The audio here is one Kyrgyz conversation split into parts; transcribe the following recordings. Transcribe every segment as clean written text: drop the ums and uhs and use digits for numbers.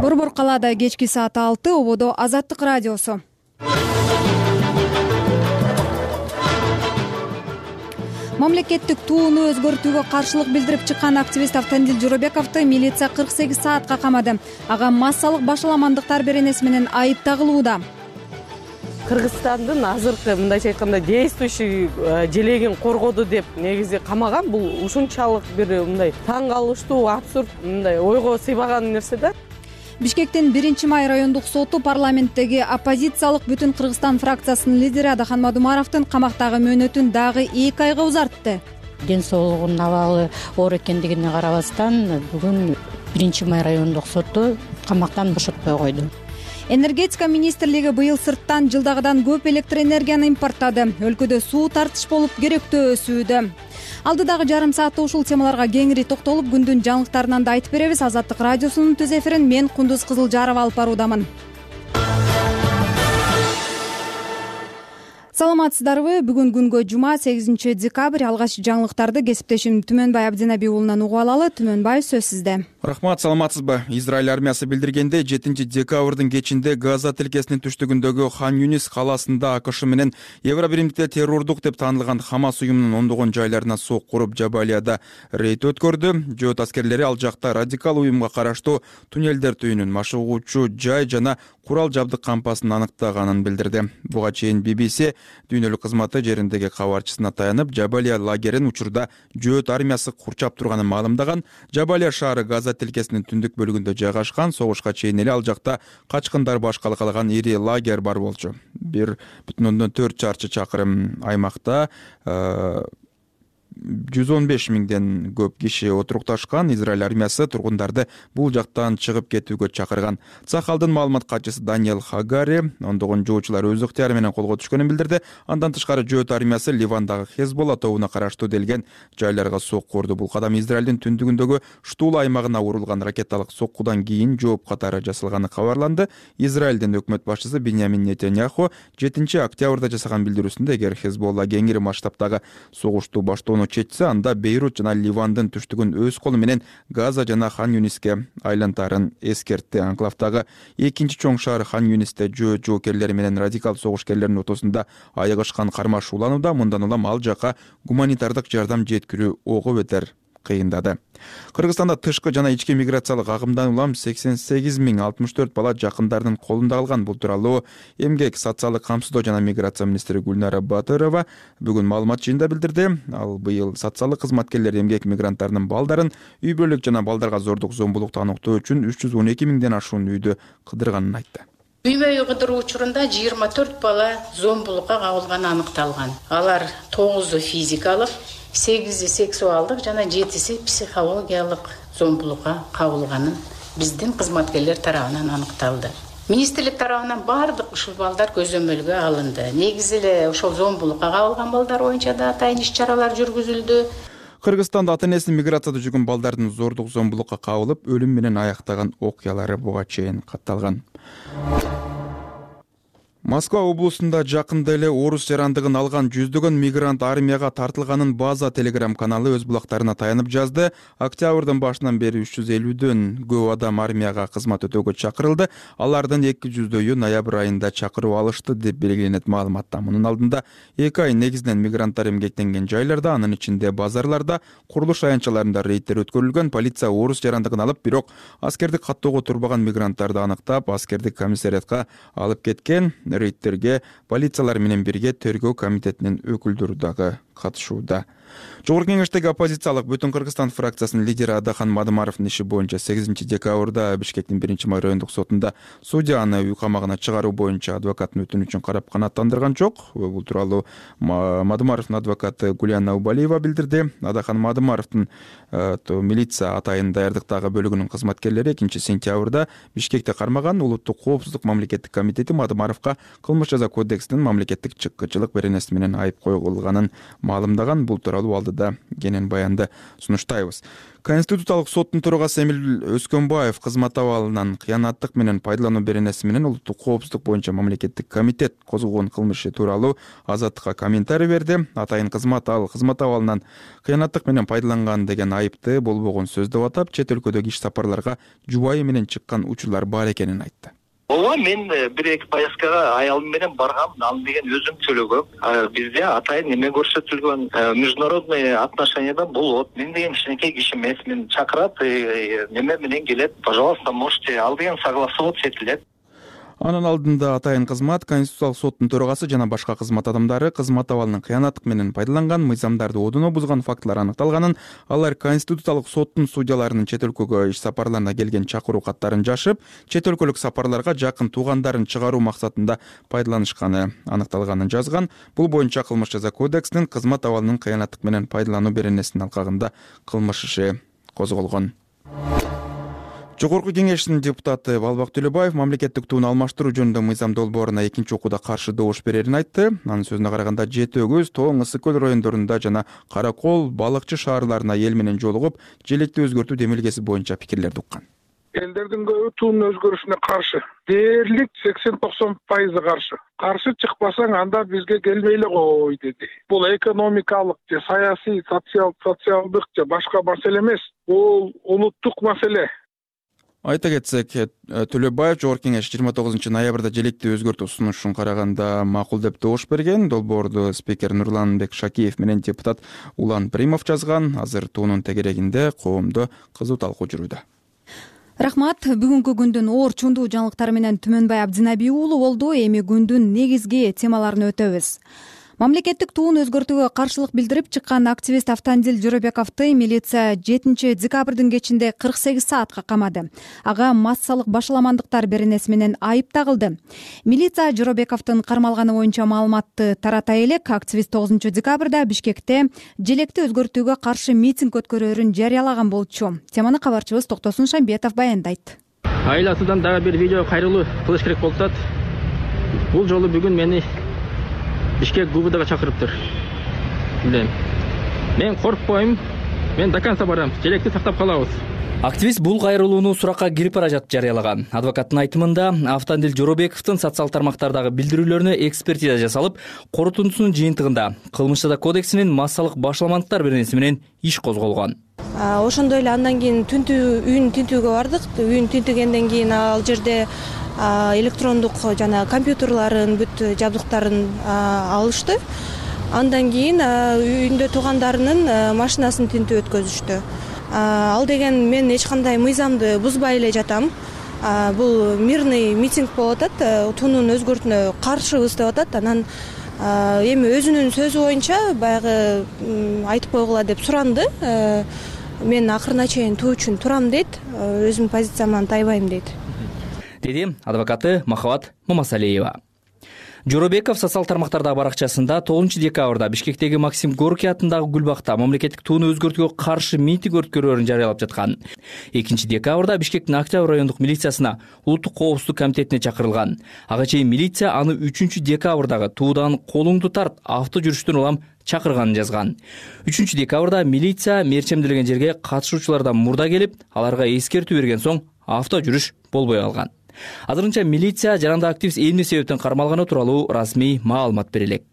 Борбор калаада кечки саат 6, ободо Азаттык радиосу. Мамлекеттик тууну өзгөртүүгө каршылык билдирип чыккан активист Автандил Жоробековду милиция 48 саатка камады. Ага массалык башаламандыктар беренеси менен айып тагылууда. Кыргызстандын азыркы мындайча айтканда действующий желегин коргоду деп негизи камаган. Бул ушунчалык бир мындай таң калыштуу, абсурд, мындай ойго сыйбаган нерсе да. Бишкектин 1-май райондук соту парламенттеги оппозициялык Бүтүн Кыргызстан фракциясынын лидери Адахан Мадумаровдун камактагы мөөнөтүн дагы 2 айга узартты. Ден соолугунун абалы оор экендигине карабастан бүгүн 1-май райондук соту камактан бошотпой койду. Энергетика министрлиги быйыл сырттан жылдагыдан көп электр энергияны импорттады. Өлкөдө суу тартыш болуп керектөө өсүүдө. Алдыдагы жарым саатта ушул темаларга кеңири токтолуп, күндүн жаңылыктарынан да айтып беребиз. Азаттык радиосунун түз эфирин мен Кундуз Кызылжарова алып баруудамын. Саламатсыздарбы? Бүгүн күнгө жума 8 декабрь. Алгач жаңылыктарды кесиптешим Түмөнбай Абдинаби уулунан угуп алалы. Түмөнбай, сөз сизде. Рахмат, саламатсызбы? Израиль армиясы билдиргендей, 7 декабрдын кечинде Газа тилкесинин түштүгүндөгү Хан Юнис калаасында АКШ менен Евробиримдикте террордук деп таанылган Хамас уюмунун ондогон жайларына сок куруп, Жабалияда рейд өткөрдү. Жөөт аскерлери ал жакта радикал уюмга караштуу туннелдер түйүнүн, машыгуучу жай жана курал жабдык кампасын аныктаганын билдирди. Буга чейин BBC дүйнөлүк кызматы жериндеги кабарчысына таянып, Жабалия лагерин учурда жөөт армиясы курчап турганын маалымдаган. Жабалия шаары Газа тилкесинин түндүк бөлүгүндө жайгашкан. Согушка чейин эле ал жакта качкындар башкала калган ири лагерь бар болчу. 1,4 чарчы чакырым аймакта 115 миңден көп киши отурукташкан. Израиль армиясы тургундарды бул жактан чыгып кетүүгө чакырган. Цахалдын маалымат катчысы Даниэл Хагари ондогон жоочулар өз ыктыяры менен колго түшкөнүн билдирди. Андан тышкары жөөт армиясы Ливандагы Хезболла тобуна караштуу делген жайларга сокку урду. Бул кадам Израилдин түндүгүндөгү Штула аймагына урулган ракеталык соккудан кийин жооп катары жасалганы кабарланды. Израилдин өкмөт башчысы Биньямин Нетаньяху 7 октябрда жасаган билдирүүсүндө эгер Хезболла кеңири масштабтагы согушту баштоону четсе, анда Бейрут жана Ливандын түштүгүн өз колу менен Газа жана Хан Юниске айлантарын эскертти. Анклавдагы экинчи чоң шаар Хан Юнисте жөөт жоокерлери менен радикал согушкерлердин ортосунда айыгышкан кармаш уланууда. Мындан улам ал жака гуманитардык жардам жеткирүү ого бетер кыйындады. Кыргызстанда тышкы жана ички миграциялык агымдан улам 88,064 бала жакындарынын колунда калган. Бул тууралуу Эмгек, социалдык камсыздоо жана миграция министри Гүлнара Батырова бүгүн маалымат жыйында билдирди. Ал быйыл социалдык кызматкерлер эмгек мигранттарынын балдарын үй бүлөлүк жана балдарга зордук, зомбулукту аныктоо үчүн 312 миңден ашуун үйдү кыдырганын айтты. Үй-бүлө кыдыруу учурунда 24 бала зомбулукка кабылганы аныкталган. Алар 9 физикалык, 8 сексуалдык жана 7 психологиялык зомбулукка кабылганын биздин кызматкерлер тарабынан аныкталды. Министрлик тарабынан бардык ушул балдар көзөмөлгө алынды. Негизи эле ошол зомбулукка кабылган балдар боюнча да атайын иш-чаралар жүргүзүлдү. Кыргызстанда ата-энесин миграцияда жүргөн балдардын зордук, зомбулукка кабылып, өлүм менен аяктаган окуялары буга чейин катталган. Москва облусунда жакында эле орус жарандыгын алган жүздөгөн мигрант армияга тартылганын База телеграм каналы өз булактарына таянып жазды. Октябрдын башынан бери 350дөн көп адам армияга кызмат өтөөгө чакырылды. Алардын 200дөйү ноябрь айында чакыруу алышты деп белгиленет маалыматта. Мунун алдында 2 ай негизинен мигранттар эмгектенген жайларда, анын ичинде базарларда, курулуш аянтчаларында рейдтер өткөрүлгөн. Полиция орус жарандыгын алып, бирок аскердик каттоого турбаган мигранттарды аныктап, аскердик комиссариатка алып кеткен. Рейдтерге полициялар менен бирге тергөө комитетинин өкүлдөрү дагы катышууда. Жогорку кеңештеги оппозициялык Бүтүн Кыргызстан фракциясынын лидери Адахан Мадумаровдун иши боюнча 8 декабрда Бишкектин 1-май райондук сотунда судья аны үй камагына чыгаруу боюнча адвокаттын өтүнүчүн карап канааттандырган жок. Бул тууралуу Мадумаровдун адвокаты Гулияна Убалиева билдирди. Адахан Мадумаровдун милиция атайын даярдыктагы бөлүгүнүн кызматкерлери 2 сентябрда Бишкекте кармаган. Улуттук коопсуздук мамлекеттик комитети Мадумаровго кылмыш жаза кодексинин мамлекеттик чыккычылык беренеси менен айып койгулганын маалымдаган. Бул тууралуу тууралуу алдыда кенен баянды сунуштайбыз. Конституциялык соттун төрагасы Эмил Өскөнбаев кызмат абалынан кыянаттык менен пайдалануу беренеси менен улуттук коопсуздук боюнча мамлекеттик комитет козгогон кылмыш тууралуу Азаттыкка комментарий берди. Атайын кызмат абалынан кыянаттык менен пайдаланган деген айыпты болбогон сөз деп атап, чет өлкөдөгү иш сапарларга жубайы менен чыккан учурлар бар экенин айтты. Ооба, мен бир-эки поездкага аялым менен баргам, аны деген өзүм төлөгөм. Бизде атайын эме көрсөтүлгөн, международный отношенияда болот. Мен деген кичинекей киши эмес, мен чакырат, неме менен келет. Пожалуйста, можете, ал деген согласоваться этилет. Анын алдында атайын кызмат, Конституциялык соттун төрагасы жана башка кызмат адамдары кызмат абалынын кыянаттык менен пайдаланган, мыйзамдарды одоно бузган фактылар аныкталганын, алар Конституциялык соттун судьяларынын чет өлкөгө иш сапарларына келген чакыруу каттарын жашып, чет өлкөлүк сапарларга жакын туугандарын чыгаруу максатында пайдаланышканы аныкталганын жазган. Бул боюнча кылмыш жаза кодексинин кызмат абалынын кыянаттык менен пайдалануу беренесинин алкагында кылмыш иши козголгон. Жогорку кеңештин депутаты Балбак Төлөбаев мамлекеттик тууну алмаштыруу жөнүндө мыйзам долбооруна экинчи окууда каршы добуш берерин айтты. Анын сөзүнө караганда Жети Өгүз, Тоң, Ысык көл райондорунда жана Каракол, Балыкчы шаарларына эл менен жолугуп, желекти өзгөртүү демилгеси боюнча пикирлерди уккан. Элдердин көбү туунун өзгөрүшүнө каршы. Дээрлик 80-90% каршы. Каршы чыкпасаң анда бизге келбей эле кой деди. Бул экономикалык же саясий, социалдык же башка маселе эмес. Бул улуттук маселе. Айта кетсек, Төлөбаев Жогорку кеңеш 29 ноябрда желекти өзгөртүү сунушун караганда макул деп добуш берген. Долбоорду спикер Нурланбек Шакиев менен депутат Улан Примов жазган. Азыр туунун тегерегинде коомдо кызуу талкуу жүрүүдө. Рахмат. Бүгүнкү күндүн оор чундуу жаңылыктары менен Түмөнбай Абдинабий уулу болду. Эми күндүн негизги темаларын өтөбүз. Мамлекеттик туун өзгөртүүгө каршылык билдирип чыккан активист Автандил Жоробековду милиция 7 декабрдын кечинде 48 саатка камады. Ага массалык башаламандыктар беренеси менен айып тагылды. Милиция Жоробековдун кармалганы боюнча маалыматты тарата элек, активист 9 декабрда Бишкекте желекти өзгөртүүгө каршы митинг өткөрөөрүн жарыялаган болчу. Теманы кабарчыбыз Токтосун Шамбетов баяндайт. Айласынан дагы бир видео кайрылуу кылыш керек болуп атат. Бул жолу бүгүн мени Бишкек ГУБДга чакырыптыр. Билем. Мен коркпойм. Мен до конца барам. Желекти сактап калабыз. Активист бул кайрылууну суракка кирип бара жатып жарыялаган. Адвокаттын айтымында Автандил Жоробековдун социал тармактардагы билдирүүлөрүнө экспертиза жасалып, корутундусунун жыйынтыгында кылмыш жаза кодексинин массалык башаламандыктар беренеси менен иш козголгон. Ошондой эле андан кийин үйүн тинтүүгө бардык. Үйүн тинтигенден кийин ал жерде электрондук жана компьютерларын бүт жабдыктарын алышты. Андан кийин үйүндө туугандарынын машинасын тинтүү өткөзүштү. Ал деген мен эч кандай мыйзамды бузбай эле жатам. Бул мирный митинг болуп атат, туунун өзгөртүүнө каршыбыз деп атат. Анан эми өзүнүн сөзү боюнча баягы айтып койгула деп суранды. Мен акырына чейин туу үчүн турам дейт, өзүмдүн позициямдан тайбайм дейт. Деди адвокаты Махабат Мамасалиева. Жоробеков социал тармактардагы баракчасында 9 декабрда Бишкектеги Максим Горький атындагы Гүлбакта мамлекеттик тууну өзгөртүүгө каршы митинг өткөрөөрүн жарыялап жаткан. 2 декабрда Бишкектин Октябрь райондук милициясына улуттук коопсуздук комитетине чакырылган. Ага чейин милиция аны 3 декабрдагы туудан колуңду тарт авто жүрүштөн улам чакырганын жазган. 3 декабрда милиция мерчемделген жерге катышуучулардан мурда келип, аларга эскертүү берген соң авто жүрүш болбой калган. Азырынча милиция жаранда активист эмне себептен кармалганы тууралуу расмий маалымат бере элек.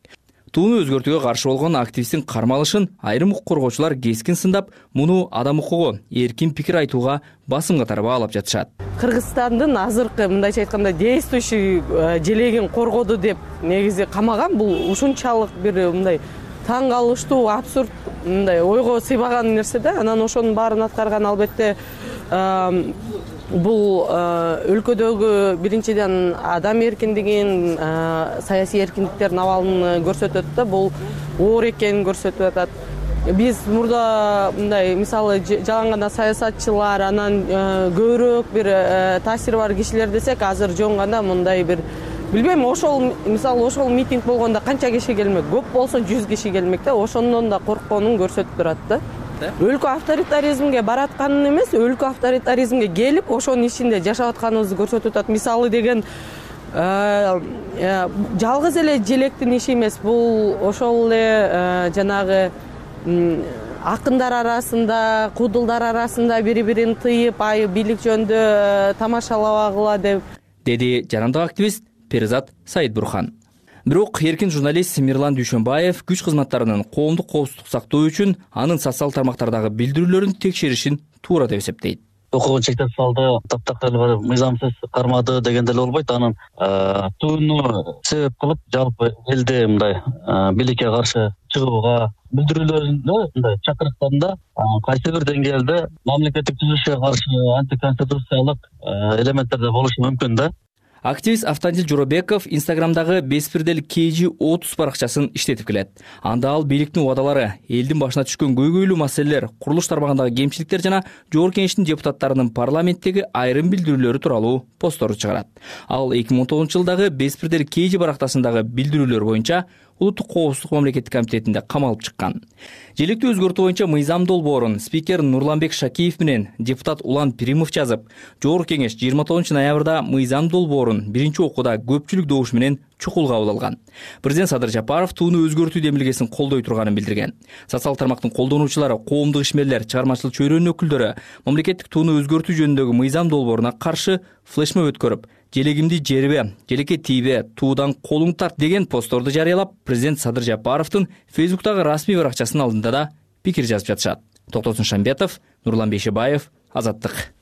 Тууну өзгөртүүгө каршы болгон активисттин кармалышын айрым укук коргоочулар кескин сындап, муну адам укугу, эркин пикир айтууга басым катары баалап жатышат. Кыргызстандын азыркы мындайча айтканда действующий желегин коргоду деп негизи камаган. Бул ушунчалык бир мындай таң калыштуу, абсурд, мындай ойго сыйбаган нерсе да. Анан ошонун баарын аткарган албетте бул өлкөдөгү биринчиден адам эркиндигин, саясий эркиндиктердин абалын көрсөтөт да, бул оор экенин көрсөтүп атат. Биз мурда мындай мисалы жалаң гана саясатчылар, анан көбүрөөк бир таасири бар кишилер десек, азыр жөн гана мындай бир билбейм, ошол мисалы ошол митинг болгондо канча киши келмек, көп болсо 100 киши келмек да, ошондон да коркконун көрсөтүп турат да. Өлкө авторитаризмге баратканын эмес, өлкө авторитаризмге келип, ошонун ичинде жашап атканыбызды көрсөтүп атат. Мисалы деген жалгыз эле желектин иши эмес, бул ошол эле жанагы акындар арасында, куудулдар арасында бири бирин тыйып, бийлик жөнүндө тамашалабагыла деп, деди жарандык активист Перизат Саидбурхан. Бирок эркин журналист Мирлан Дүйшөнбаев күч кызматтарынын коомдук коопсуздук сактоо үчүн анын социалдык тармактардагы билдирүүлөрүн текшеришин туура деп эсептейт. Укугун чектеп салды, таптакыр мыйзамсыз кармады деген деле болбойт. Анын тууну себеп кылып жалпы элде мындай бийликке каршы чыгууга билдирүүлөрүндө мындай чакырыктарында кайсы бир деңгээлде мамлекеттик түзүлүшкө каршы антиконституциялык элементтер да болушу мүмкүн да. Активист Автандил Жоробеков Инстаграмдагы Беспирдел KG30 баракчасын иштетип келет. Анда ал бийликтин убадалары, элдин башына түшкөн көйгөйлүү маселелер, курулуш тармагындагы кемчиликтер жана Жогорку Кеңештин депутаттарынын парламенттеги айрым билдирүүлөрү тууралуу посттор чыгарат. Ал 2019 жылдагы Беспирдел KG барактасындагы билдирүүлөр боюнча Улуттук коопсуздук мамлекеттик комитетинде камалып чыккан. Желектүү өзгөртүү боюнча мыйзам долбоорун спикер Нурланбек Шакиев менен депутат Улан Пиримов жазып, Жогорку Кеңеш 29 ноябрда мыйзам долбоорун биринчи окууда көпчүлүк добуш менен чукул кабыл алган. Президент Садыр Жапаров тууну өзгөртүү демилгесин колдой турганын билдирген. Социалдык тармактын колдонуучулары, коомдук ишмерлер, чыгармачылык чөйрөнүн өкүлдөрү мамлекеттик тууну өзгөртүү жөнүндөгү мыйзам долбооруна каршы флешмоб өткөрүп, желегимди жербе, желекке тийбе, туудан колуң тарт деген постторду жарыялап, президент Садыр Жапаровдун Фейсбуктагы расмий баракчасынын алдында да пикир жазып жатышат. Токтосун Шамбетов, Нурлан Бейшебаев, Азаттык.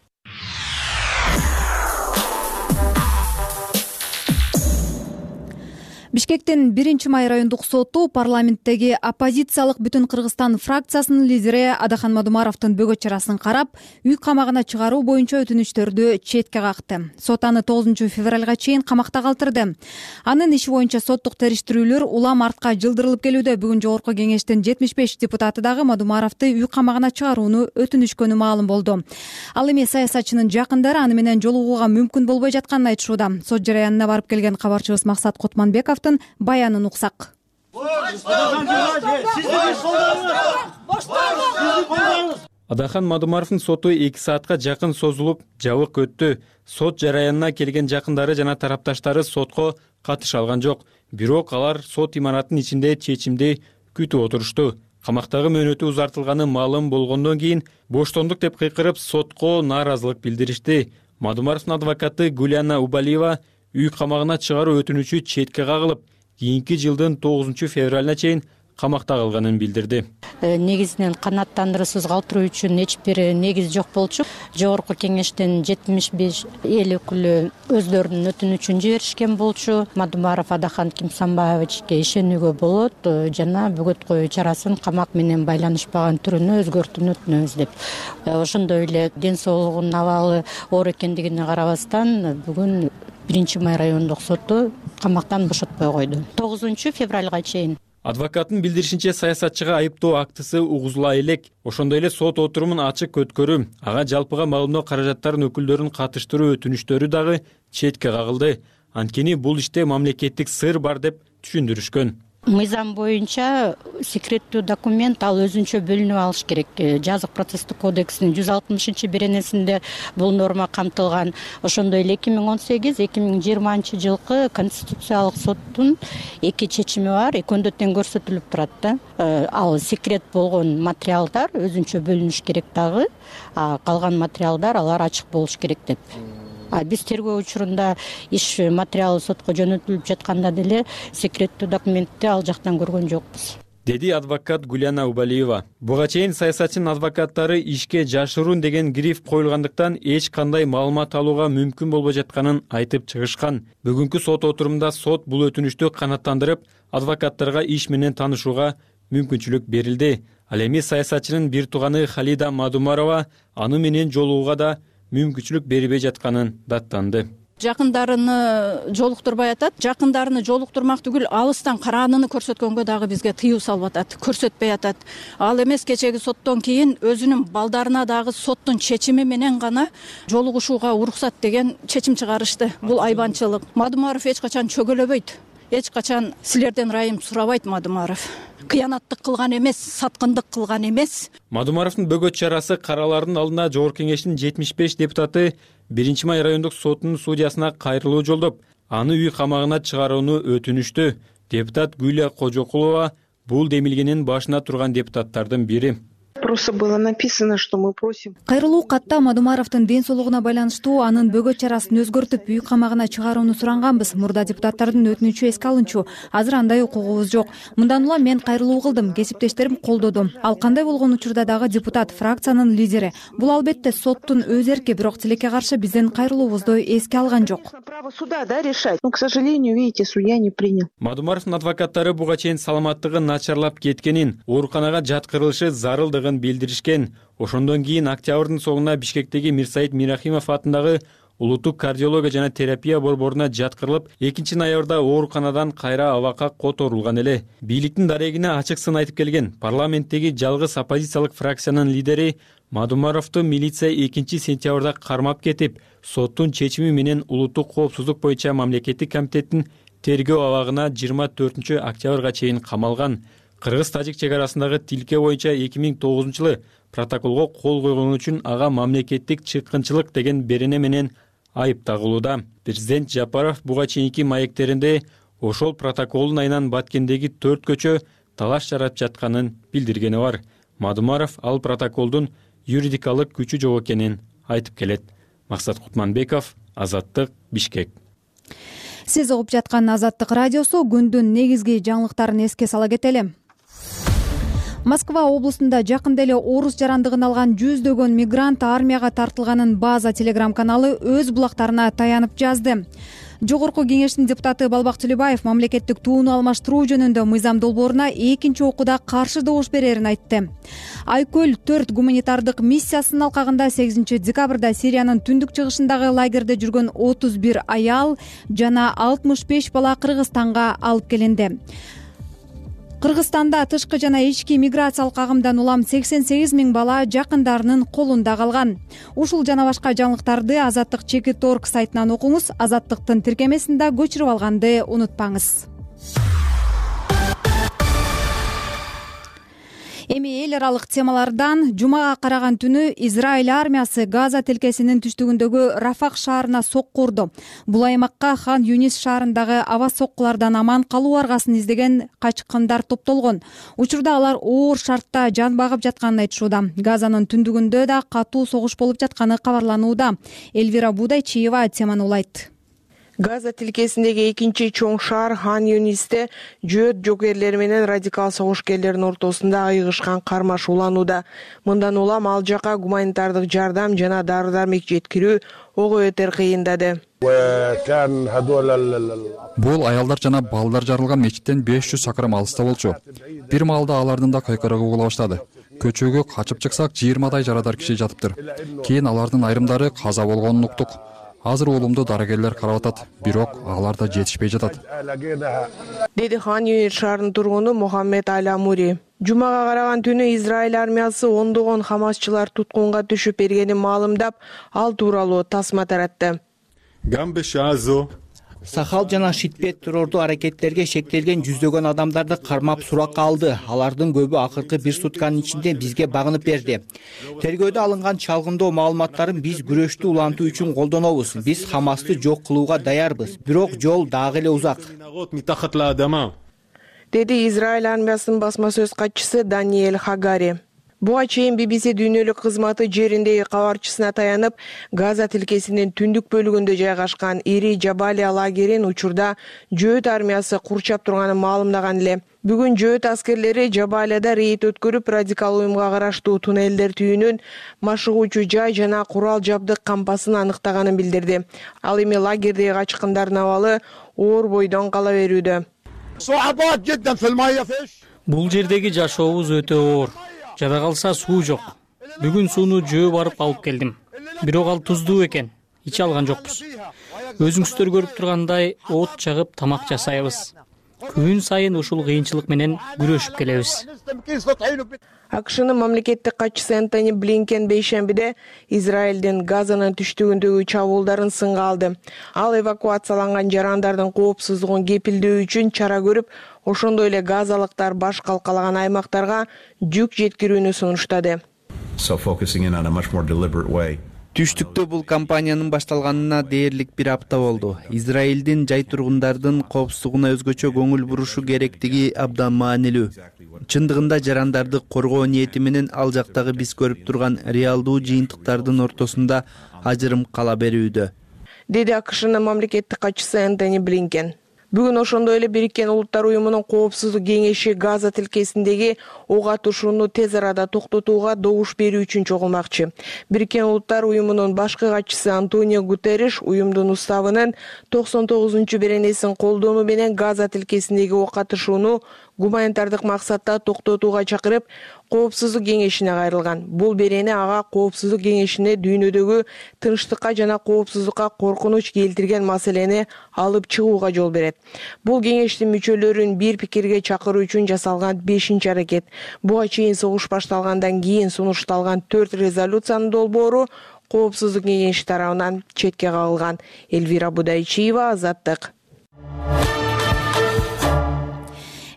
Бишкектин 1-май райондук соту парламенттеги оппозициялык Бүтүн Кыргызстан фракциясынын лидери Адахан Мадумаровдун бөгөт чарасын карап, үй камагына чыгаруу боюнча өтүнүчтөрдү четке какты. Сот аны 9 февралга чейин камакта калтырды. Анын иши боюнча соттук териштирүүлөр улам артка жылдырылып келүүдө. Бүгүн Жогорку Кеңештин 75 депутаты дагы Мадумаровду үй камагына чыгарууну өтүнүшкөнү маалым болду. Ал эми саясатчынын жакындары аны менен жолугууга мүмкүн болбой жатканын айтышууда. Сот жараянына барып келген кабарчыбыз Максат Кутманбеков баянын уксак. Адахан Мадумаровдун соту 2 саатка жакын созулуп, жабык өттү. Сот жараянына келген жакындары жана тарапташтары сотко катыша алган жок. Бирок алар сот имаратынын ичинде чечимди күтүп отурушту. Камактагы мөөнөтү узартылганы маалым болгондон кийин боштондук деп кыйкырып сотко нааразылык билдиришти. Мадумаровдун адвокаты Гуляна Убалиева үй камагына чыгаруу өтүнүчү четке кагылып, кийинки жылдын 9 февралына чейин камакта калганын билдирди. Негизинен канааттандыруусуз калтыруу үчүн эч бир негиз жок болчу. Жогорку Кеңештин 75 эл өкүлү өздөрүнүн өтүнүчүн жиберишкен болчу. Мадумаров Адахан Кимсанбаевичке ишенүүгө болот жана бөгөт коюу чарасын камак менен байланышпаган түрүнө өзгөртүүнү өтүнөбүз деп. Ошондой эле ден соолугунун абалы оор экендигине карабастан бүгүн 1-май райондук соту камактан бошотпой койду. 9 февралга чейин. Адвокаттын билдиришинче саясатчыга айыптоо актысы угузула элек. Ошондой эле сот отурумун ачык өткөрүү, ага жалпыга малымдоо каражаттарын өкүлдөрүн катыштыруу өтүнүчтөрү дагы четке кагылды. Анткени бул иште мамлекеттик сыр бар деп түшүндүрүшкөн. Мыйзам боюнча секреттүү документ ал өзүнчө бөлүнүп алыш керек. Жазык процесстик кодексинин 160-беренесинде бул норма камтылган. Ошондой эле 2018-2020 жылкы Конституциялык соттун 2 чечими бар, экөөндө тең көрсөтүлүп турат да. Ал секрет болгон материалдар өзүнчө бөлүнүш керек дагы, калган материалдар алар ачык болуш керек деп. Биз тергөө учурунда иш материалы сотко жөнөтүлүп жатканда деле секреттүү документти ал жактан көргөн жокпуз, деди адвокат Гуляна Убалиева. Буга чейин саясатчынын адвокаттары ишке жашыруун деген гриф коюлгандыктан эч кандай маалымат алууга мүмкүн болбой жатканын айтып чыгышкан. Бүгүнкү сот отурумунда сот бул өтүнүштү канааттандырып, адвокаттарга иш менен таанышууга мүмкүнчүлүк берилди. Ал эми саясатчынын бир тууганы Халида Мадумарова аны менен жолугууга да мүмкүнчүлүк бербей жатканын даттанды. Жакындарыны жолуктурбай атат. Жакындарыны жолуктурмак түгүл, алыстан караанын көрсөткөнгө дагы бизге тыюу салып атат, көрсөтпөй атат. Ал эмес, кечеги соттон кийин өзүнүн балдарына дагы соттун чечими менен гана жолугушууга уруксат деген чечим чыгарышты. Бул айбанчылык. Мадумаров эч качан чөгөлөбөйт. Эч качан силерден ырайым сурабайт Мадумаров. Кыянаттык кылган эмес, саткындык кылган эмес. Мадумаровдун бөгөт чарасы каралардын алдында Жогорку Кеңештин 75 депутаты 1-май райондук сотунун судьясына кайрылуу жолдоп, аны үй камагына чыгарууну өтүнүштү. Депутат Гүлия Кожокулова Бул демилгенин башына турган депутаттардын бири. Просто было написано, что мы просим. Кайрылуу катта Мадумаровдун ден соолугуна байланыштуу анын бөгөт чарасын өзгөртүп үй камагына чыгарууну суранганбыз. Мурда депутаттардын өтүнүчү эске алынчу. Азыр андай укугубуз жок. Мындан улам мен кайрылуу кылдым, кесиптештерим колдоду. Ал кандай болгон учурда дагы депутат, фракциянын лидери. Бул албетте соттун өз эрки, бирок тилекке каршы биздин кайрылуубузду эске алган жок. Право суда, да, решать. Но, к сожалению, видите, судья не принял. Мадумаровдун адвокаттары буга чейин саламаттыгы начарлап кеткенин, ооруканага жаткырылышы зарылдыгын билдиришкен. Ошондон кийин октябрдын соңуна Бишкектеги Мирсаид Мирахимов атындагы улуттук кардиология жана терапия борборуна жаткырылып, 2-ноябрда ооруканадан кайра абакка которулган эле. Бийликтин дарегине ачык сын айтып келген парламенттеги жалгыз оппозициялык фракциянын лидери Мадумаровду милиция 2-сентябрда кармап кетип, соттун чечими менен улуттук коопсуздук боюнча мамлекеттик комитеттин тергөө абагына 24-октябрга чейин камалган. Кыргыз-тажик чек арасындагы тилке боюнча 2009-жылы протоколго кол койгон үчүн ага мамлекеттик чыккынчылык деген берене менен айып тагылууда. Президент Жапаров буга чейинки маектеринде ошол протоколдун айынан Баткендеги 4 көчө талаш жаратып жатканын билдиргени бар. Мадумаров ал протоколдун юридикалык күчү жок экенин айтып келет. Максат Кутманбеков, Азаттык, Бишкек. Сиз угуп жаткан Азаттык радиосу. Күндүн негизги жаңылыктарын эске сала кетели. Москва облусунда жакында эле орус жарандыгын алган жүздөгөн мигрант армияга тартылганын База телеграм каналы өз булактарына таянып жазды. Жогорку кеңештин депутаты Балбак Төлөбаев мамлекеттик тууну алмаштыруу жөнүндө мыйзам долбооруна 2-окууда каршы добуш берерин айтты. Айкөл 4 гуманитардык миссиясынын алкагында 8 декабрда Сириянын түндүк чыгышындагы лагерде жүргөн 31 аял жана 65 бала Кыргызстанга алып келинди. Кыргызстанда тышкы жана ички миграциялык агымдан улам 88 000 бала жакындарынын колунда калган. Ушул жана башка жаңылыктарды Азаттык Чекит.орг сайтынан окуңуз. Азаттыктын тиркемесин да көчүрүп алганды унутпаңыз. Эми эл аралык темалардан жумага караган түнү Израиль армиясы Газа тилкесинин түштүгүндөгү Рафах шаарына сокку урду. Бул аймакка Хан Юнис шаарындагы аба соккулардан аман калуу аргасын издеген качкындар топтолгон. Учурда алар оор шартта жан багып жатканын айтышууда. Газанын түндүгүндө да катуу согуш болуп жатканы кабарланууда. Элвира Будайчиева теманы улайт. Газа тилкесиндеги экинчи чоң шаар Хан Юнисте жөөт жокерлери менен радикал согушкерлердин ортосунда айыгышкан кармаш уланууда. Мындан улам ал жака гуманитардык жардам жана дары-дармек жеткирүү ого өтөр кыйындады. Бул аялдар жана балдар жарылган мечиттен 500 чакырым алыста болчу. Бир маалда алардын да кайкырыгы угула баштады. Көчөгө качып чыксак 20 жарадар киши жатыптыр. Кийин алардын айрымдары каза болгонун уктук. Азыр улумду дарыгерлер карап атат, бирок алар да жетишпей жатат. Деди Хан Юнис шаарынын тургуну Мухаммед Аламури. Жумага караган түнү Израиль армиясы ондогон хамасчылар туткунга түшүп бергенин маалымдап, ал тууралуу тасма таратты. Сахал жана Шитбет террордуу аракеттерге шектелген жүздөгөн адамдарды кармап суракка алды. Алардын көбү акыркы бир сутканын ичинде бизге багынып берди. Тергөөдө алынган чалгындоо маалыматтарын биз күрөштү улантуу үчүн колдонобуз. Биз Хамасты жок кылууга даярбыз. Бирок жол дагы эле узак. Деди Израиль армиясынын басма сөз катчысы Даниэль Хагари. Буга чейин BBC дүйнөлүк кызматы жериндеги кабарчысына таянып, Газа тилкесинин түндүк бөлүгүндө жайгашкан Ири Жабалия лагерин учурда жөөт армиясы курчап турганын маалымдаган эле. Бүгүн жөөт аскерлери Жабалияда рейд өткөрүп, радикал уюмга караштуу туннелдер түйүнүн, машыгуучу жай жана курал жабдык кампасын аныктаганын билдирди. Ал эми лагердеги качкындардын абалы оор бойдон кала берүүдө. Бул жердеги жашообуз өтө оор. Жада калса суу жок. Бүгүн сууну жөө барып алып келдим. Бирок ал туздуу экен. Иче алган жокпуз. Өзүңүздөр көрүп тургандай от чагып тамак жасайбыз. Күн сайын ушул кыйынчылык менен күрөшүп келебиз. АКШнын мамлекеттик катчысы Энтони Блинкен бейшембиде Израилдин Газанын түштүгүндөгү чабуулдарын сынга алды. Ал эвакуацияланган жарандардын коопсуздугун кепилдөө үчүн чара көрүп, ошондой эле газалыктар баш калкалаган аймактарга жүк жеткирүүнү сунуштады. Түштүктө бул кампаниянын башталганына дээрлик бир апта болду. Израилдин жай тургундардын коопсуздугуна өзгөчө көңүл бурушу керектиги абдан маанилүү. Чындыгында жарандарды коргоо ниети менен ал жактагы биз көрүп турган реалдуу жыйынтыктардын ортосунда ажырым кала берүүдө, деди АКШнын мамлекеттик катчысы Энтони Блинкен. Бүгүн ошондой эле Бириккен Улуттар уюмунун Коопсуздук кеңеши Газа тилкесиндеги ок атышууну тез арада токтотууга добуш берүү үчүн чогулмакчы. Бириккен Улуттар уюмунун башкы катчысы Антонио Гутерриш уюмдун уставынын 99-беренесин колдонуу менен Газа тилкесиндеги ок атышууну гуманитардык максатта токтотууга чакырып, Коопсуздук кеңешине кайрылган. Бул берени ага Коопсуздук кеңешине дүйнөдөгү тынчтыкка жана коопсуздукка коркунуч келтирген маселени алып чыгууга жол берет. Бул кеңештин мүчөлөрүн бир пикирге чакыруу үчүн жасалган 5-чи аракет. Буга чейин согуш башталгандан кийин сунушталган 4 резолюциянын долбоору Коопсуздук кеңеши тарабынан четке кагылган. Элвира Будайчиева, Азаттык.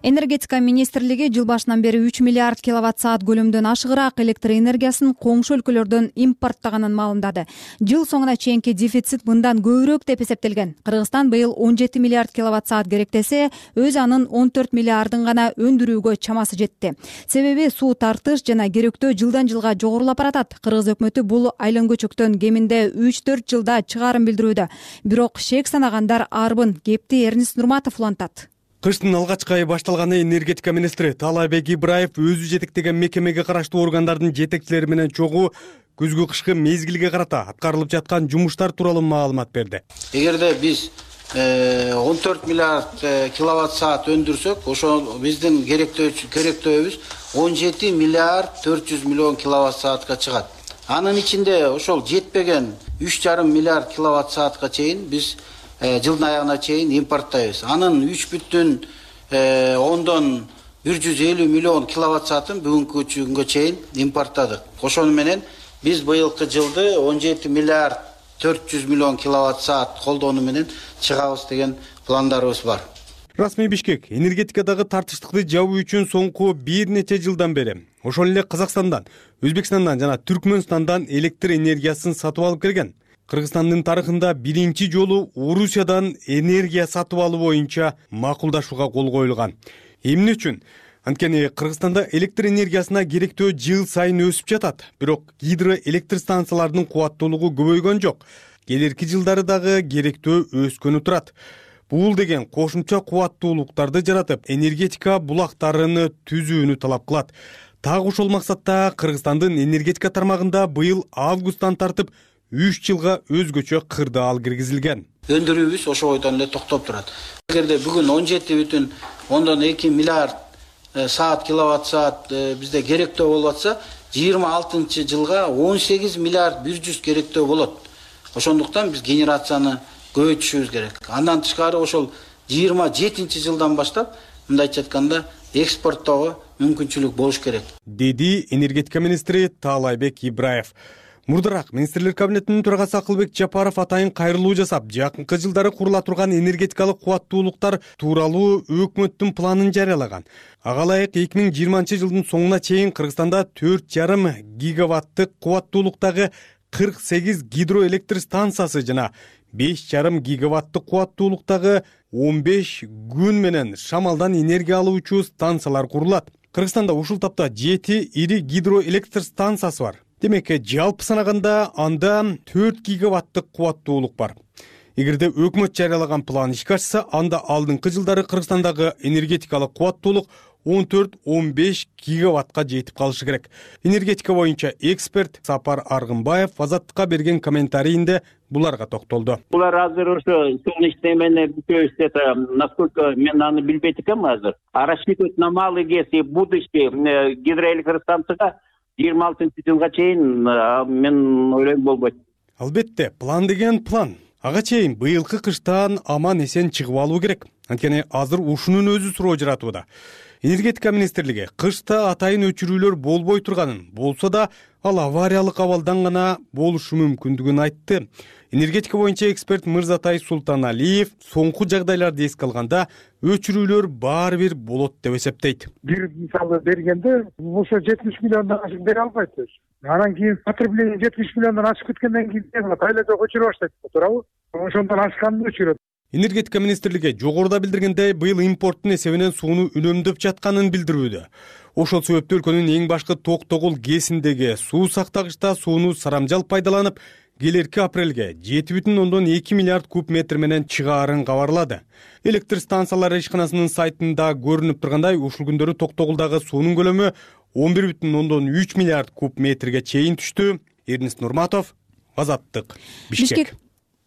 Энергетика министрлиги жыл башынан бери 3 миллиард киловатт-саат көлөмдөн ашыгыраак электр энергиясын коңшу өлкөлөрдөн импорттаганын маалымдады. Жыл соңуна чейинки дефицит мындан көбүрөөк деп эсептелген. Кыргызстан быйыл 17 миллиард киловатт-саат керектесе, өз анын 14 миллиардын гана өндүрүүгө чамасы жетти. Себеби суу тартыш жана керектөө жылдан жылга жогорулап баратат. Кыргыз өкмөтү бул айлан көчөктөн кеминде 3-4 жылда чыгарым билдирүүдө. Бирок шек санагандар арбын. Кепти Эрнис Нурматов улантат. Кыштын алгачкы айы башталганы энергетика министри Таалайбек Ибраев өзү жетектеген мекемеге караштуу органдардын жетекчилери менен чогуу күзгү кышкы мезгилге карата аткарылып жаткан жумуштар тууралуу маалымат берди. Эгерде биз 14 миллиард киловатт саат өндүрсөк, ошо биздин керектөөбүз 17 миллиард 400 миллион киловатт саатка чыгат. Анын ичинде ошол жетпеген 3,5 миллиард киловатт саатка чейин биз жылдын аягына чейин импорттайбыз. Анын 3,150 миллион киловатт саатын бүгүнкү күнгө чейин импорттадык. Ошону менен биз быйылкы жылды 17 миллиард 400 миллион киловатт саат колдонуу менен чыгабыз деген пландарыбыз бар. Расмий Бишкек энергетикадагы тартыштыкты жабуу үчүн соңку бир нече жылдан бери ошол эле Казакстандан, Өзбекстандан жана Түркмөнстандан электр энергиясын сатып алып келген. Кыргызстандын тарыхында биринчи жолу Орусиядан энергия сатып алуу боюнча макулдашууга кол коюлган. Эмне үчүн? Анткени Кыргызстанда электр энергиясына керектөө жыл сайын өсүп жатат. Бирок гидроэлектр станцияларынын кубаттуулугу көбөйгөн жок. Келерки жылдары дагы керектөө өскөнү турат. Бул деген кошумча кубаттуулуктарды жаратып, энергетика булактарын түзүүнү талап кылат. Так ошол максатта Кыргызстандын энергетика тармагында быйыл августтан тартып 3 жылга өзгөчө кырдаал киргизилген. Өндүрүүбүз ошо бойдон эле токтоп турат. Эгерде бүгүн 17,2 миллиард саат киловатт саат бизде керектөө болуп атса, 26 жылга 18 миллиард 100 керектөө болот. Ошондуктан биз генерацияны көбөйтүшүбүз керек. Андан тышкары ошол 27 жылдан баштап, мындайча айтканда, экспорттоого мүмкүнчүлүк болуш керек, деди энергетика министри Таалайбек Ибраев. Мурдараак министрлер кабинетинин төрагасы Акылбек Жапаров атайын кайрылуу жасап, жакынкы жылдары курула турган энергетикалык кубаттуулуктар тууралуу өкмөттүн планын жарыялаган. Ага ылайык 2020 жылдын соңуна чейин Кыргызстанда 4,5 гигаваттык кубаттуулуктагы 48 гидроэлектр станциясы жана 5,5 гигаваттык кубаттуулуктагы 15 күн менен шамалдан энергия алуучу станциялар курулат. Кыргызстанда ушул тапта 7 ири гидроэлектр станциясы бар. Демек, жалпы санаганда анда 4 гигаваттык кубаттуулук бар. Эгерде өкмөт жарыялаган план ишке ашса, анда алдыңкы жылдары Кыргызстандагы энергетикалык кубаттуулук 14-15 гигаваттка жетип калышы керек. Энергетика боюнча эксперт Сапар Аргынбаев Азаттыкка берген комментарийинде буларга токтолду. Булар азыр ошо солнечный менен бүтөбүз это, насколько мен аны билбейт экенмин азыр. А рассчитывать на малый вес и будущее гидроэлектростанцияга 26 жылга чейин мен ойлойм болбойт. Албетте, план деген план. Ага чейин быйылкы кыштан аман эсен чыгып алуу керек. Анткени азыр ушунун өзү суроо жаратууда. Энергетика министрлиги кышта атайын өчүрүүлөр болбой турганын, болсо да ал авариялык абалдан гана болушу мүмкүндүгүн айтты. Энергетика боюнча эксперт Мырзатай Султаналиев соңку жагдайларды эске алганда өчүрүүлөр баары бир болот деп эсептейт. Бир мисалы бергенде ошо 70 миллиондон ашык бере албайт. Анан кийин потребление 70 миллиондон ашып кеткенден кийин не кылат? Айла жок өчүрө баштайт, туурабы? Ошондон ашканды өчүрөт. Энергетика министрлиги жогоруда билдиргендей, быйыл импорттун эсебинен сууну үнөмдөп жатканын билдирүүдө. Ошол себептен өлкөнүн эң башкы ток-тогул ГЭСиндеги суу сактагычта сууну сарамжал пайдаланып, келерки апрелге 7,2 миллиард куб метр менен чыгаарын кабарлады. Электр станциялары ишканасынын сайтында көрүнүп тургандай, ушул күндөрү Токтогулдагы суунун көлөмү 11,3 миллиард куб метрге чейин түштү. Эрнест Нурматов, Азаттык, Бишкек.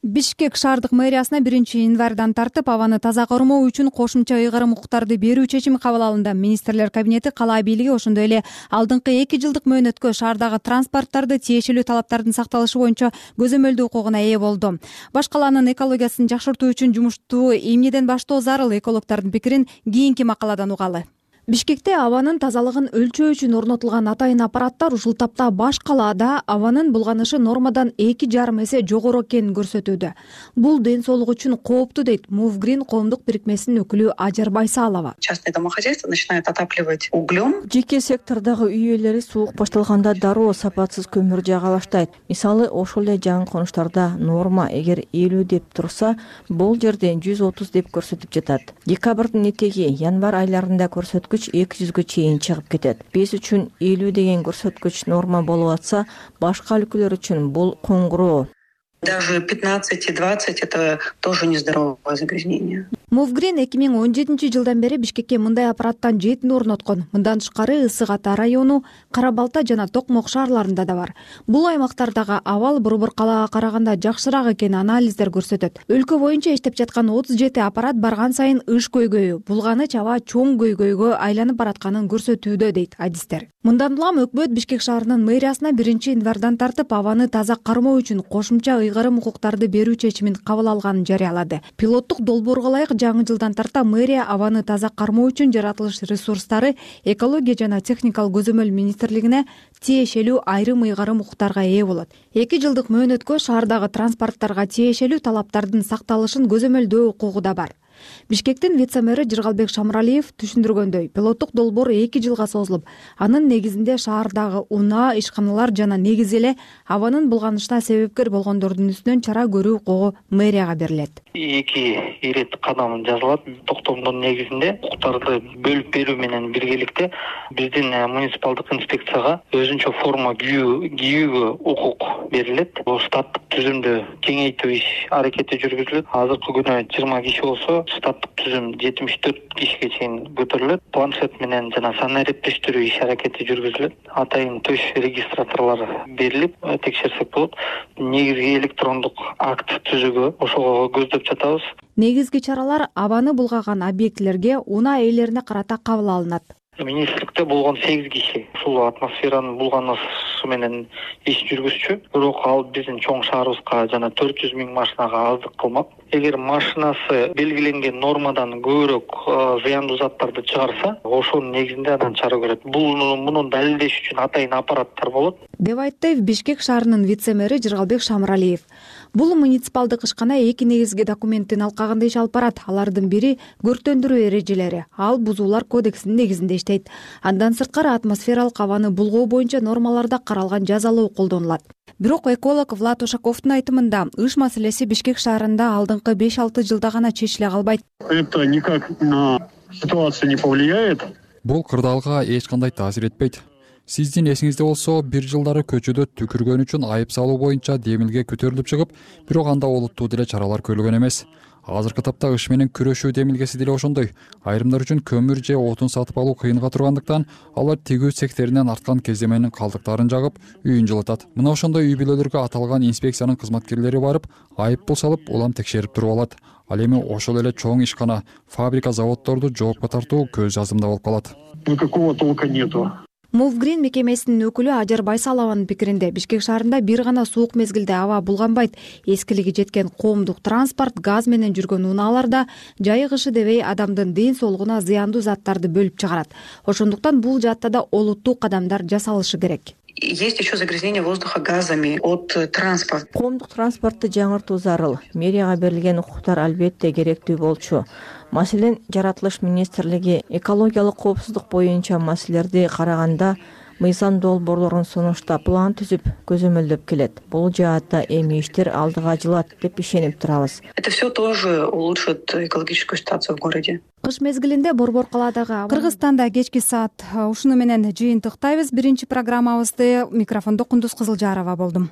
Бишкек шаардык мэриясына 1-январдан тартып абаны таза кармоо үчүн кошумча ыйгарым укуктарды берүү чечими кабыл алынды. Министрлер кабинети кала бийлиги ошондой эле алдыңкы 2 жылдык мөөнөткө шаардагы транспорттарды тиешелүү талаптардын сакталышы боюнча көзөмөлдөө укугуна ээ болду. Баш калаанын экологиясын жакшыртуу үчүн жумушту эмнеден баштоо зарыл, экологдордун пикирин кийинки макаладан угалы. Бишкекте абанын тазалыгын өлчөө үчүн орнотулган атайын аппараттар ушул тапта баш калаада абанын булганышы нормадан 2,5 эсе жогору экенин көрсөтүүдө. Бул ден соолук үчүн кооптуу, дейт Мувгрин коомдук бирикмесинин өкүлү Ажар Байсалова. Частные домохозяйства начинают отапливать углем. Жеке сектордагы үй ээлери суук башталганда дароо сапатсыз көмүр жага баштайт. Мисалы, ошол эле жаңы конуштарда норма эгер 50 деп турса, бул жерде 130 деп көрсөтүп жатат. Декабрдын этеги январь айларында көрсөткүч 200гө чейин чыгып кетет. Биз үчүн 50 деген көрсөткүч норма болуп атса, башка өлкөлөр үчүн бул коңгуроо. Даже 15 и 20 это тоже нездоровое загрязнение. Мувгрин 2017 жылдан бери Бишкекке мындай аппараттан 7 орноткон. Мындан тышкары Ысык Ата району, Кара Балта жана Токмок шаарларында да бар. Бул аймактардагы абал Борбор калаага караганда жакшыраак экенин анализдер көрсөтөт. Өлкө боюнча иштеп жаткан 37 аппарат барган сайын ыш көйгөйү, булганыч аба чоң көйгөйгө айланып баратканын көрсөтүүдө, дейт адистер. Мындан улам өкмөт Бишкек шаарынын мэриясына 1-январдан тартып абаны таза кармоо үчүн кошумча ыйгарым укуктарды берүү чечимин кабыл алганын жарыялады. Пилоттук долбоорго ылайык жаңы жылдан тарта мэрия абаны таза кармоо үчүн жаратылыш ресурстары, экология жана техникалык көзөмөл министрлигине тиешелүү айрым ыйгарым укуктарга ээ болот. 2 жылдык мөөнөткө шаардагы транспорттторго тиешелүү талаптардын сакталышын көзөмөлдөө укугу да бар. Бишкектин вице-мэри Жыргалбек Шамралиев түшүндүргөндөй, пилоттук долбоор 2 жылга созулуп, анын негизинде шаардагы унаа, ишканалар жана негизи эле абанын булганышына себепкер болгондордун үстүнөн чара көрүү укугу мэрияга берилет. 2 ирет кадам жазылат. Токтомдун негизинде укуктарды бөлүп берүү менен биргеликте биздин муниципалдык инспекцияга өзүнчө форма кийүүгө укук берилет. Бул штаттык түзүмдү кеңейтүү иш аракети жүргүзүлөт. Азыркы күнү 20 киши болсо, штаттык түзүм 74 кишиге чейин көтөрүлөт. Планшет менен жана сан эрептештирүү иш аракети жүргүзүлөт. Атайын төш регистраторлор берилип, текшерсек болот. Негизги электрондук акт түзүүгө ошого көздөп жатабыз. Негизги чаралар абаны булгаган объектилерге унаа ээлерине карата кабыл алынат. Министрликте болгон 8 киши ушул атмосферанын булганышы менен иш жүргүзчү. Бирок ал биздин чоң шаарыбызга жана 400 миң машинага аздык кылмак. Эгер машинасы белгиленген нормадан көбүрөөк зыяндуу заттарды чыгарса, ошонун негизинде анан чара көрөт. Муну далилдеш үчүн атайын аппараттар болот, деп айтты Бишкек шаарынын вице-мэри Жыргалбек Шамралиев. Бул муниципалдык ишкана 2 негизги документтин алкагында иш алып барат. Алардын бири көрктөндүрүү эрежелери. Ал бузуулар кодексинин негизинде иштейт. Андан сырткары атмосфералык абаны булгоо боюнча нормаларда каралган жазалоо колдонулат. Бирок эколог Влад Ушаковдун айтымында ыш маселеси Бишкек шаарында алдыңкы 5-6 жылда гана чечиле калбайт. Это никак на ситуацию не повлияет. Бул кырдаалга эч кандай таасир этпейт. Сиздин эсиңизде болсо, 1 жылдары көчөдө түкүргөн үчүн айып салуу боюнча демилге көтөрүлүп чыгып, бирок анда олуттуу деле чаралар көрүлгөн эмес. Азыркы тапта ыш менен күрөшүү демилгеси деле ошондой. Айрымдар үчүн көмүр же отун сатып алуу кыйынга тургандыктан, алар тигүү цехтеринен арткан кездеменин калдыктарын жагып, үйүн жылытат. Мына ошондой үй бүлөлөргө аталган инспекциянын кызматкерлери барып, айып пул салып, улам текшерип туруп алат. Ал эми ошол эле чоң ишкана, фабрика, заводдорду жоопко тартуу көз жазымда болуп калат. Никакого толка нету. Мувгрин мекемесинин өкүлү Ажар Байсалованын пикиринде, Бишкек шаарында бир гана суук мезгилде аба булганбайт. Эскилиги жеткен коомдук транспорт, газ менен жүргөн унааларда жайы кышы дебей адамдын ден соолугуна зыяндуу заттарды бөлүп чыгарат. Ошондуктан бул жаатта да олуттуу кадамдар жасалышы керек. Есть еще загрязнение воздуха газами от транспорта. Коомдук транспортты жаңыртуу зарыл. Мэрияга берилген укуктар албетте керектүү болчу. Маселен, жаратылыш министрлиги экологиялык коопсуздук боюнча маселелерди караганда мыйзам долбоорлорун сунуштап план түзүп көзөмөлдөп келет. Бул жаатта эми иштер алдыга жылат деп ишенип турабыз. Это все тоже улучшит экологическую ситуацию в городе. Кыш мезгилинде Борбор калаадагы Кыргызстанда кечки саат ушуну менен жыйынтыктайбыз. Биринчи программабызды микрофондо Кундуз Кызылжарова болдум.